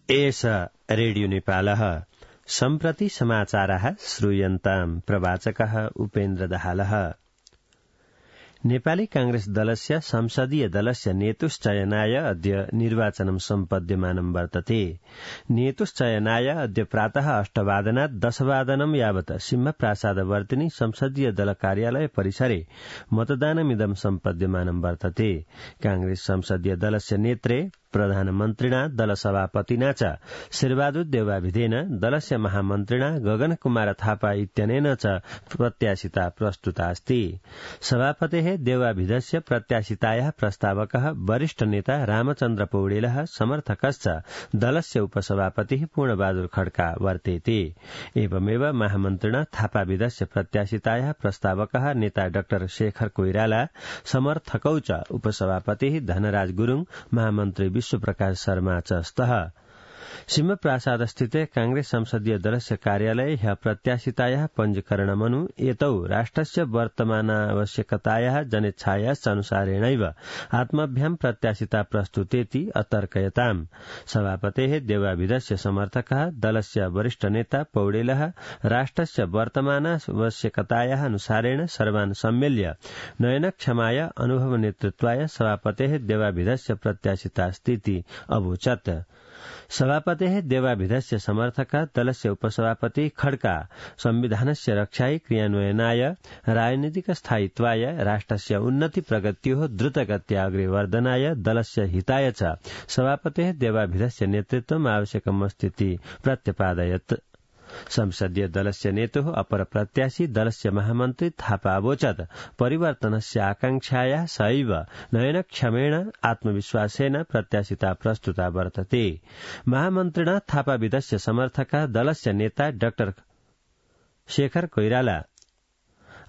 एष रेडियो नेपालः सम्प्रति समाचारः श्रूयन्ताम् प्रवाचकः उपेन्द्र दाहालः। नेपाली कांग्रेस दलस्य संसदीय दलस्य नेतुश्चयनाय अद्य निर्वाचनं सम्पद्यमानं वर्तते। नेतुश्चयनाय अद्य प्रातः 8:00 10:00 यावत् सिंहप्रासादवर्तिनि संसदीय दल कार्यालय परिसरे मतदानमिदं सम्पद्यमानं वर्तते। कांग्रेस संसदीय दलस्य नेत्रे प्रधानमन्त्रिणा दलसभापतिना च शेरबहादुर देउवाभिधेन दलस्य महामन्त्रिणा गगन कुमार थापा इत्यनेन च प्रत्याशिता प्रस्तुता अस्ति। सभापतेः देउवाभिधस्य प्रत्याशितायाः प्रस्तावकः वरिष्ठ नेता रामचन्द्र पौडेलः समर्थकश्च दलस्य उपसभापतिः पूर्णबहादुर खड्का वर्तेते। एवमेव महामन्त्रिणा थापाभिधस्य प्रत्याशितायाः प्रस्तावकः नेता डाक्टर शेखर कोइराला, समर्थकौ च उपसभापतिः धनराज गुरूङ, महामन्त्री विश्वप्रकाश शर्मा च स्तः। सिंहप्रासादस्थिते कांग्रेस संसदीय दलस्य कार्यालये ह्यः प्रत्याशितायाः पञ्जीकरणमनु एतौ राष्ट्रस्य वर्तमानावश्यकतायाः जनेच्छायाश्च अनुसारेणैव आत्मभ्यां प्रत्याशिता प्रस्तुतेति अतर्कयताम्। सभापतेः देउवाभिधस्य समर्थकः दलस्य वरिष्ठ नेता पौडेलः राष्ट्रस्य वर्तमानावश्यकतायाः अनुसारेण सर्वान् सम्मेल्य नयनक्षमाय अनुभव नेतृत्वाय सभापतेः देउवाभिधस्य प्रत्याशितास्तीति अवोचत्। सभापतेः देउवाभिधस्य समर्थकः दलस्य उपसभापति खड्का संविधानस्य रक्षायै क्रियान्वयनाय राजनीतिक स्थायित्वाय राष्ट्रस्य उन्नति प्रगत्योः द्रुतगत्या अग्रे वर्धनाय दलस्य हिताय च सभापतेः देउवाभिधस्य नेतृत्वम् आवश्यकमस्तीति प्रत्यपादयत्। संसदीय दलस्य नेतुः अपर प्रत्याशी दलस्य महामन्त्री थापा अवोचत् परिवर्तनस्य आकांक्षायाः सैव नयनक्षमेण आत्मविश्वासेन प्रत्याशिता प्रस्तुता वर्तते। महामन्त्रिणा थापाभिधस्य समर्थकः दलस्य नेता डाक्टर शेखर कोइराला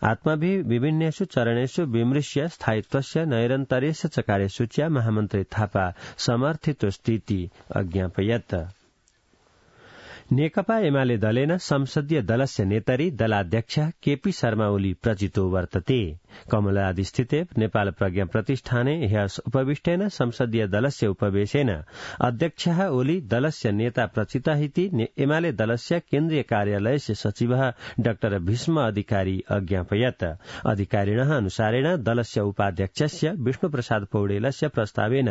आत्माभिः विभिन्नेषु चरणेषु विमृश्य स्थायित्वस्य नैरन्तर्यस्य च कार्यसूच्या महामन्त्री थापा समर्थितोऽस्तीति अज्ञापयत्। नेकपा एमाले दलेन संसदीय दलस्य नेतरी दलाध्यक्ष केपी शर्मा ओली प्रचितो वर्तते। कमलादीस्थिते नेपाल प्रज्ञा प्रतिष्ठाने ह्यः उपविष्टेन संसदीय दलस्य उपवेशेन अध्यक्षः ओली दलस्य नेता प्रचितः इति एमाले दलस्य केन्द्रीय कार्यालयस्य सचिवः डाक्टर भीष्म अधिकारी अज्ञापयत्। अधिकारिणः अनुसारेण दलस्य उपाध्यक्षस्य विष्णुप्रसाद पौडेलस्य प्रस्तावेन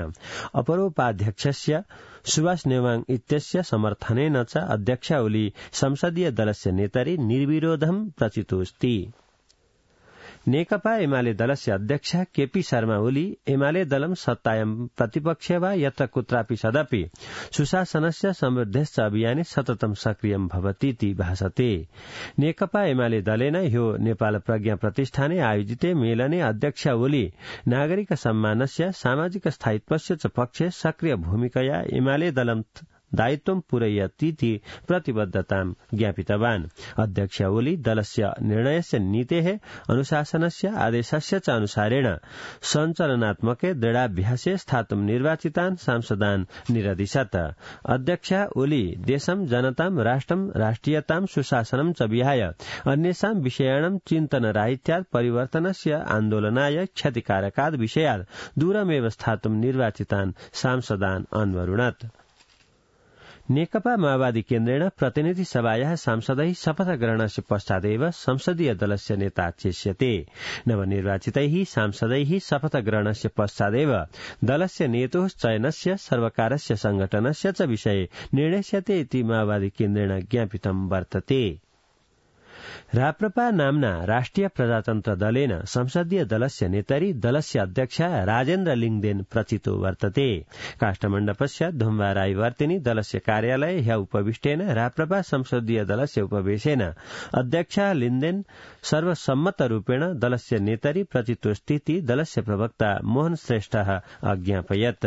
अपरोपाध्यक्षस्य सुभाष नेवाङ इत्यस्य समर्थनेन च अध्यक्ष ओली संसदीय दलस्य नेतरी निर्विरोधं प्रचितोऽस्ति। नेकपा एमाले दलस्य अध्यक्ष केपी शर्मा ओली एमाले दलं सत्तायां प्रतिपक्षे वा यत्र कुत्रापि सदपि सुशासनस्य समृद्धेश्च अभियाने सततं सक्रियं भवतीति भासते। नेकपा एमाले दलेन ह्यो नेपाल प्रज्ञा प्रतिष्ठाने आयोजिते मेलने अध्यक्ष ओली नागरिक सम्मानस्य सामाजिक स्थायित्वस्य च पक्षे सक्रिय भूमिकया एमाले दलं दायित्वं पूरयतीति प्रतिबद्धतां ज्ञापितवान्। अध्यक्ष ओली दलस्य निर्णयस्य नीतेः अनुशासनस्य आदेशस्य च अनुसारेण सञ्चलनात्मके दृढाभ्यासे स्थातुं निर्वाचितान् सांसदान् निरदिशत्। अध्यक्ष ओली देशं जनतां राष्ट्रं राष्ट्रियतां सुशासनं च विहाय अन्येषां विषयाणां चिन्तनराहित्यात् परिवर्तनस्य आन्दोलनाय क्षतिकारकाद् विषयात् दूरमेव स्थातुं निर्वाचितान् सांसदान् अन्वरुणत्। नेकपा माओवादी केन्द्रेण प्रतिनिधि सभायाः सांसदैः शपथ ग्रहणस्य पश्चादेव संसदीय दलस्य नेता चेष्यते। नवनिर्वाचितैः सांसदैः शपथ ग्रहणस्य पश्चादेव दलस्य नेतोः चयनस्य सर्वकारस्य संगठनस्य च विषये निर्णेष्यते इति माओवादी केन्द्रेण ज्ञापितं वर्तते। राप्रपा नाम्ना राष्ट्रिय प्रजातन्त्र दलेन संसदीय दलस्य नेतरी दलस्य अध्यक्ष राजेन्द्र लिङदेन प्रचितो वर्तते। काष्ठमण्डपस्य धुम्बाराईवर्तिनि दलस्य कार्यालये ह्यः उपविष्टेन राप्रपा संसदीय दलस्य उपवेशेन अध्यक्ष लिङदेन सर्वसम्मतरूपेण दलस्य नेतरी प्रचितोऽस्तीति दलस्य प्रवक्ता मोहन श्रेष्ठः अज्ञापयत्।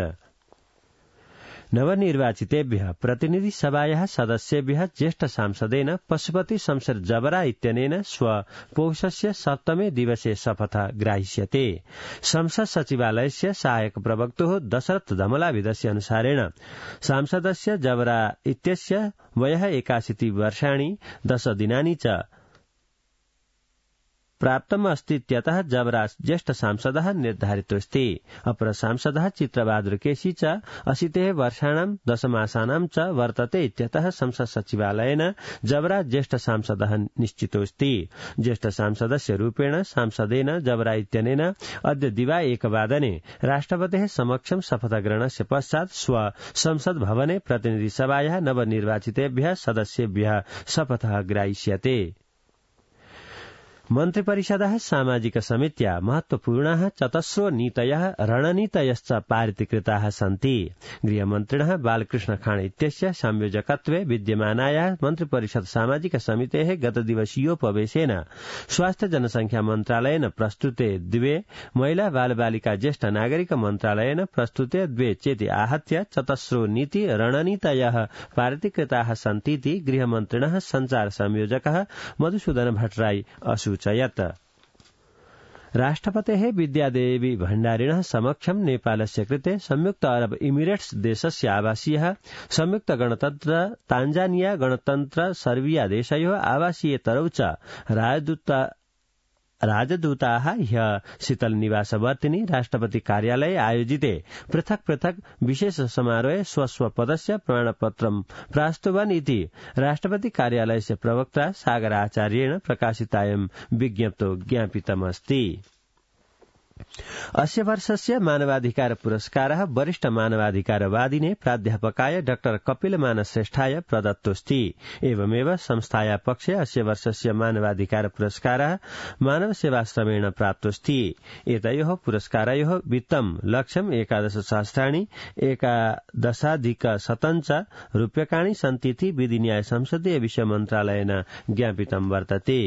नवनिर्वाचितेभ्यः प्रतिनिधि सभायाः सदस्येभ्यः ज्येष्ठ सांसदेन पशुपति शमशेर जबरा इत्यनेन पौषस्य 7मे दिवसे शपथ ग्राह्यते। संसद सचिवालयस्य सहायक प्रवक्तुः दशरथ धमलाभिधस्य अनुसारेण सांसदस्य जबरा इत्यस्य वयः 81 वर्षाणि 10 दिनानि च प्राप्तम् अस्ति इत्यतः जबरा ज्येष्ठ सांसदः निर्धारितोऽस्ति। अपर सांसदः चित्रबहादुर केसी च 80 वर्षाणां दशमासानां च वर्तते इत्यतः संसद सचिवालयेन जबरा ज्येष्ठ सांसदः निश्चितोऽस्ति। ज्येष्ठ सांसदस्य रूपेण सांसदेन जबरा इत्यनेन अद्य दिवा 1:00 राष्ट्रपतेः समक्षं शपथग्रहणस्य पश्चात् स्व संसद भवने प्रतिनिधि सभायाः नवनिर्वाचितेभ्यः सदस्येभ्यः शपथः ग्राह्यते। मन्त्रिपरिषदः सामाजिक समित्या महत्वपूर्णाः 4 नीतयः रणनीतयश्च पारितीकृताः सन्ति। गृहमन्त्रिणः बालकृष्ण खाँड इत्यस्य संयोजकत्वे विद्यमानायाः मन्त्रिपरिषद सामाजिक समितेः गतदिवसीयोपवेशेन स्वास्थ्य जनसंख्या मन्त्रालयेन प्रस्तुते 2, महिला बालबालिका ज्येष्ठ नागरिक मन्त्रालयेन प्रस्तुते 2 चेति आहत्य 4 नीति रणनीतयः पारितीकृताः सन्तीति गृहमन्त्रिणः सञ्चार संयोजकः मधुसूदन भट्टराई असूचयत्। राष्ट्रपतेः विद्यादेवी भण्डारिणः समक्षं नेपालस्य कृते संयुक्त अरब इमिरेट्स देशस्य आवासीयः संयुक्त गणतन्त्र तान्जानिया गणतन्त्र सर्बिया देशयोः आवासीयेतरौ च राजदूताः ह्यः शीतल निवासवर्तिनी राष्ट्रपति कार्यालये आयोजिते पृथक् पृथक् विशेष समारोहे स्वस्व पदस्य प्रमाणपत्रं प्रास्तुवन् इति राष्ट्रपति कार्यालयस्य प्रवक्ता सागर आचार्येण प्रकाशितायं विज्ञप्तौ ज्ञापितमस्ति। अस्य वर्षस्य मानवाधिकार पुरस्कारः वरिष्ठ मानवाधिकारवादिने प्राध्यापकाय डॉक्टर कपिलमान श्रेष्ठाय प्रदत्तोऽस्ति। एवमेव संस्थाया पक्षे अस्य वर्षस्य मानवाधिकार पुरस्कारः मानव सेवाश्रमेण प्राप्तोऽस्ति। एतयोः पुरस्कारयोः वित्तं लक्ष्यं 11 सहस्राणि 11,000 च रूप्यकाणि सन्तीति विधिन्याय संसदीय विषय मन्त्रालयेन ज्ञापितं वर्तते।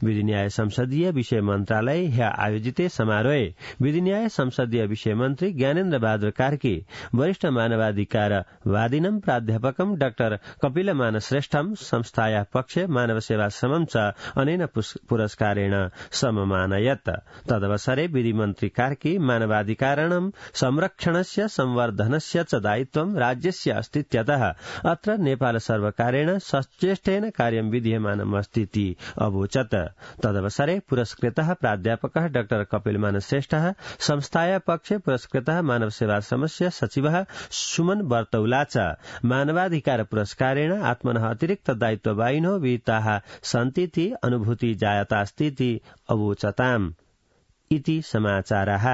विधिन्याय संसदीय विषय मन्त्रालये ह्यः आयोजिते समारोहे विधिन्याय संसदीय विषय मन्त्री ज्ञानेन्द्र बहादुर कार्की वरिष्ठ मानवाधिकारवादिनं प्राध्यापकं डाक्टर कपिलमान श्रेष्ठं संस्थायाः पक्षे मानव सेवाश्रमं च अनेन पुरस्कारेण सममानयत्। तदवसरे विधिमन्त्री कार्की मानवाधिकाराणां संरक्षणस्य संवर्धनस्य च दायित्वं राज्यस्य अस्तीत्यतः अत्र नेपाल सर्वकारेण सचेष्टेन कार्यं विधीयमानमस्तीति अवोचत्। तदवसरे पुरस्कृतः प्राध्यापकः डाक्टर कपिलमान श्रेष्ठ संस्थाया पक्षे पुरस्कृतः मानव सेवाश्रमस्य सचिवः सुमन बर्तौला च मानवाधिकार पुरस्कारेण आत्मनः अतिरिक्त दायित्ववाहिनो विहिताः सन्तीति अनुभूति जायतास्तीति अवोचताम् इति समाचारः।